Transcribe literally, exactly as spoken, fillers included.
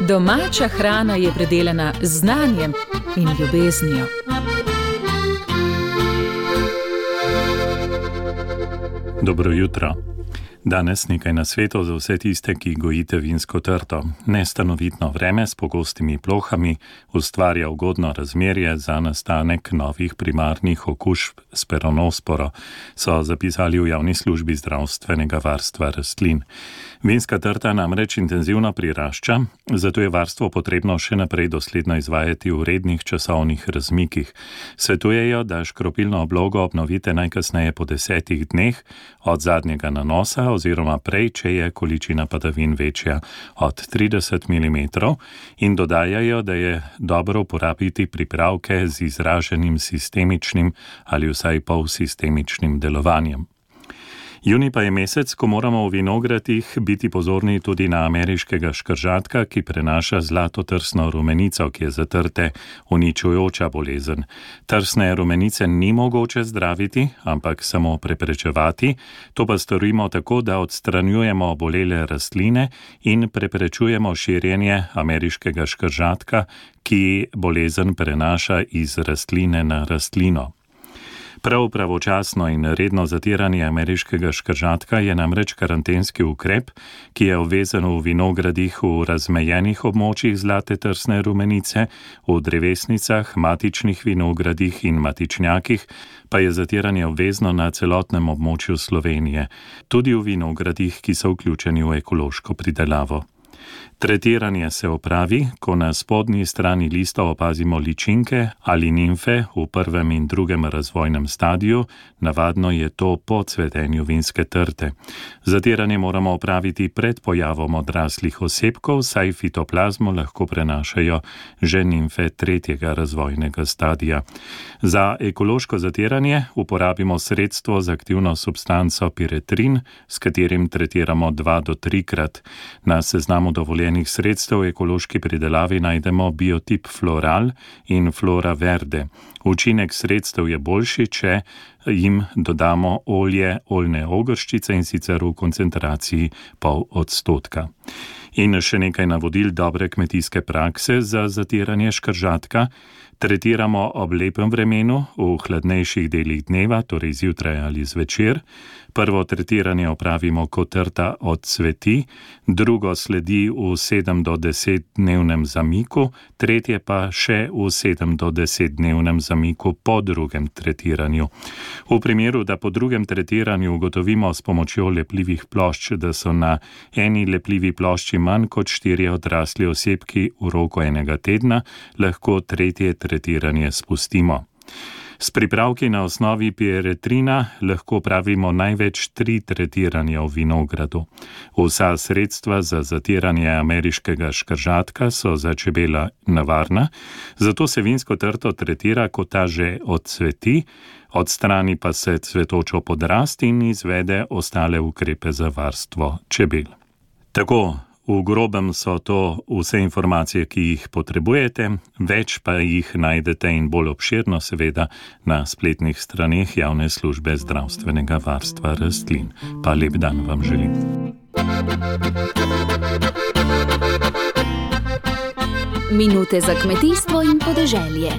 Domača hrana je predelana z znanjem in ljubeznijo. Dobro jutro. Danes nekaj nasvetov za vse tiste, ki gojite vinsko trto. Nestanovitno vreme s pogostimi plohami ustvarja ugodno razmerje za nastanek novih primarnih okužb s peronosporo, so zapisali v javni službi zdravstvenega varstva rastlin. Vinska trta namreč intenzivno prirašča, zato je varstvo potrebno še naprej dosledno izvajati v rednih časovnih razmikih. Svetujejo, da škropilno oblogo obnovite najkasneje po desetih dneh od zadnjega nanosa oziroma prej, če je količina padavin večja od trideset milimetrov, in dodajajo, da je dobro uporabiti pripravke z izraženim sistemičnim ali vsaj polsistemičnim delovanjem. Junij pa je mesec, ko moramo v vinogradih biti pozorni tudi na ameriškega škržatka, ki prenaša zlatotrsno rumenico, ki je za trte uničujoča bolezen. Trsne rumenice ni mogoče zdraviti, ampak samo preprečevati. To pa storimo tako, da odstranjujemo obolele rastline in preprečujemo širjenje ameriškega škržatka, ki bolezen prenaša iz rastline na rastlino. Prav pravočasno in redno zatiranje ameriškega škržatka je namreč karantenski ukrep, ki je obvezen v vinogradih v razmejenih območjih zlate trsne rumenice, v drevesnicah, matičnih vinogradih in matičnjakih, pa je zatiranje obvezno na celotnem območju Slovenije, tudi v vinogradih, ki so vključeni v ekološko pridelavo. Tretiranje se opravi, ko na spodnji strani lista opazimo ličinke ali nimfe v prvem in drugem razvojnem stadiju, navadno je to po cvetenju vinske trte. Zatiranje moramo opraviti pred pojavom odraslih osebkov, saj fitoplazmo lahko prenašajo že nimfe tretjega razvojnega stadija. Za ekološko zatiranje uporabimo sredstvo z aktivno substanco piretrin, s katerim tretiramo dva do trikrat. Na seznamu dovoljenih sredstev v ekološki pridelavi najdemo biotip floral in flora verde. Učinek sredstev je boljši, če jim dodamo olje oljne ogrščice, in sicer v koncentraciji pol odstotka. In še nekaj navodil dobre kmetijske prakse za zatiranje škržatka. Tretiramo ob lepem vremenu, v hladnejših delih dneva, torej zjutraj ali zvečer. Prvo tretiranje opravimo, ko trta odcveti, drugo sledi v sedem do deset dnevnem zamiku, tretje pa še v sedem do deset dnevnem zamiku po drugem tretiranju. V primeru, da po drugem tretiranju ugotovimo s pomočjo lepljivih plošč, da so na eni lepljivi plošči manj kot štirje odrasli osebki v roku enega tedna, lahko tretje tretiranje spustimo. S pripravki na osnovi piretrina lahko pravimo največ tri tretiranja v vinogradu. Vsa sredstva za zatiranje ameriškega škržatka so za čebela nevarna, zato se vinsko trto tretira, ko ta že odcveti, odstrani pa se cvetočo podrast in izvede ostale ukrepe za varstvo čebel. Tako, v grobem so to vse informacije, ki jih potrebujete, več pa jih najdete in bolj obširno seveda na spletnih straneh javne službe zdravstvenega varstva rastlin. Pa lep dan vam želim. Minute za kmetijstvo in podeželje.